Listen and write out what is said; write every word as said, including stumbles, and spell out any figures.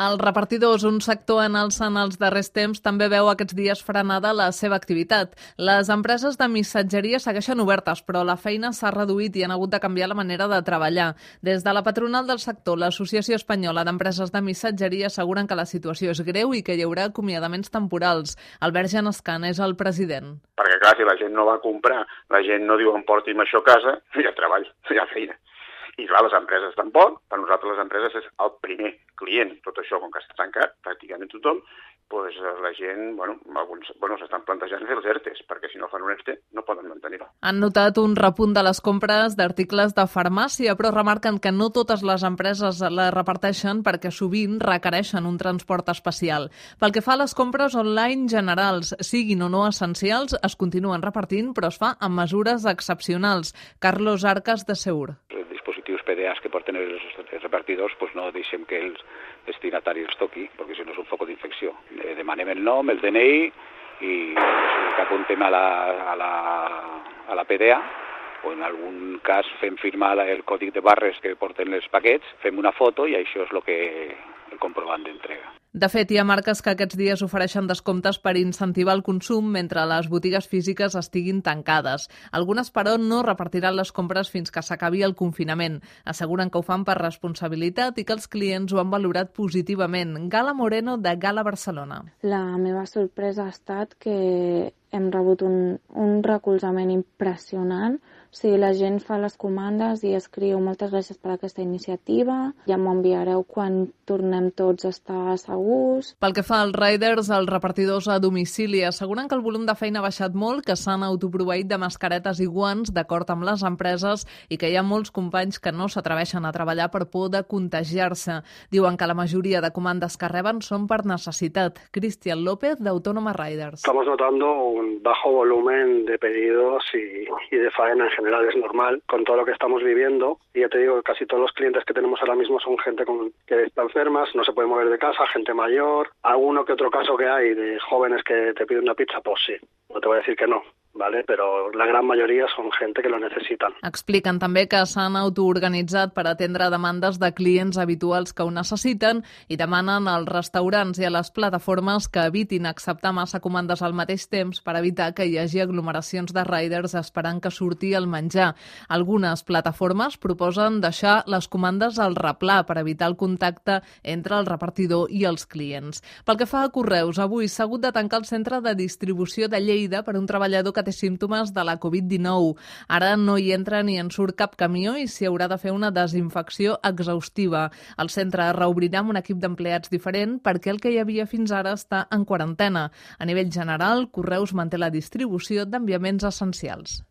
Els repartidors, un sector en alça en els darrers temps, també veu aquests dies frenada la seva activitat. Les empreses de missatgeria segueixen obertes, però la feina s'ha reduït i han hagut de canviar la manera de treballar. Des de la patronal del sector, l'Associació Espanyola d'Empreses de Missatgeria, asseguren que la situació és greu i que hi haurà acomiadaments temporals. Albert Genescan és el president. Perquè clar, si la gent no va comprar, la gent no diu em porti'm això a casa, hi ha treball, hi ha feina. I clar, les empreses tampoc, per nosaltres les empreses és el primer client. Tot això, com que està tancat, pràcticament tothom, doncs la gent, bueno, alguns bueno, s'estan plantejant fer els ERTEs, perquè si no fan un ERTE no poden mantenir-ho. Han notat un repunt de les compres d'articles de farmàcia, però remarquen que no totes les empreses la reparteixen perquè sovint requereixen un transport especial. Pel que fa a les compres online generals, siguin o no essencials, es continuen repartint, però es fa amb mesures excepcionals. Carlos Arcas, de Seur. Dispositius P D As que porten els repartidors, pues no deixem que els destinataris els toqui, perquè si no és un foc d'infecció. Demanem el nom, el D N I i que apuntem a la, a la, a la P D A, o en algun cas fem firmar el còdic de barres que porten els paquets, fem una foto i això és el que el comprovant d'entrega. De fet, hi ha marques que aquests dies ofereixen descomptes per incentivar el consum mentre les botigues físiques estiguin tancades. Algunes, però, no repartiran les compres fins que s'acabi el confinament. Asseguren que ho fan per responsabilitat i que els clients ho han valorat positivament. Gala Moreno, de Gala Barcelona. La meva sorpresa ha estat que hem rebut un, un recolzament impressionant. O sigui, la gent fa les comandes i escriu moltes gràcies per aquesta iniciativa, ja m'ho enviareu quan tornem tots a estar segurs. Pel que fa als riders, els repartidors a domicili asseguren que el volum de feina ha baixat molt, que s'han autoproveït de mascaretes i guants d'acord amb les empreses i que hi ha molts companys que no s'atreveixen a treballar per por de contagiar-se. Diuen que la majoria de comandes que reben són per necessitat. Cristian López, de Autónoma Riders. Estamos notando un bajo volumen de pedidos y, y de faena en general, es normal con todo lo que estamos viviendo, y ya te digo que casi todos los clientes que tenemos ahora mismo son gente con, que está enfermas, no se puede mover de casa, gente mayor, alguno que otro caso que hay de jóvenes que te piden una pizza, pues sí, no te voy a decir que no, ¿vale? Pero la gran mayoría son gente que lo necesitan. Expliquen també que s'han autoorganitzat per atendre demandes de clients habituals que ho necessiten i demanen als restaurants i a les plataformes que evitin acceptar massa comandes al mateix temps per evitar que hi hagi aglomeracions de riders esperant que surti el menjar. Algunes plataformes proposen deixar les comandes al replà per evitar el contacte entre el repartidor i els clients. Pel que fa a correus, avui s'ha hagut de tancar el centre de distribució de Lleida per un treballador que té símptomes de la covid dinou. Ara no hi entra ni en surt cap camió i s'hi haurà de fer una desinfecció exhaustiva. El centre reobrirà amb un equip d'empleats diferent perquè el que hi havia fins ara està en quarantena. A nivell general, Correus manté la distribució d'enviaments essencials.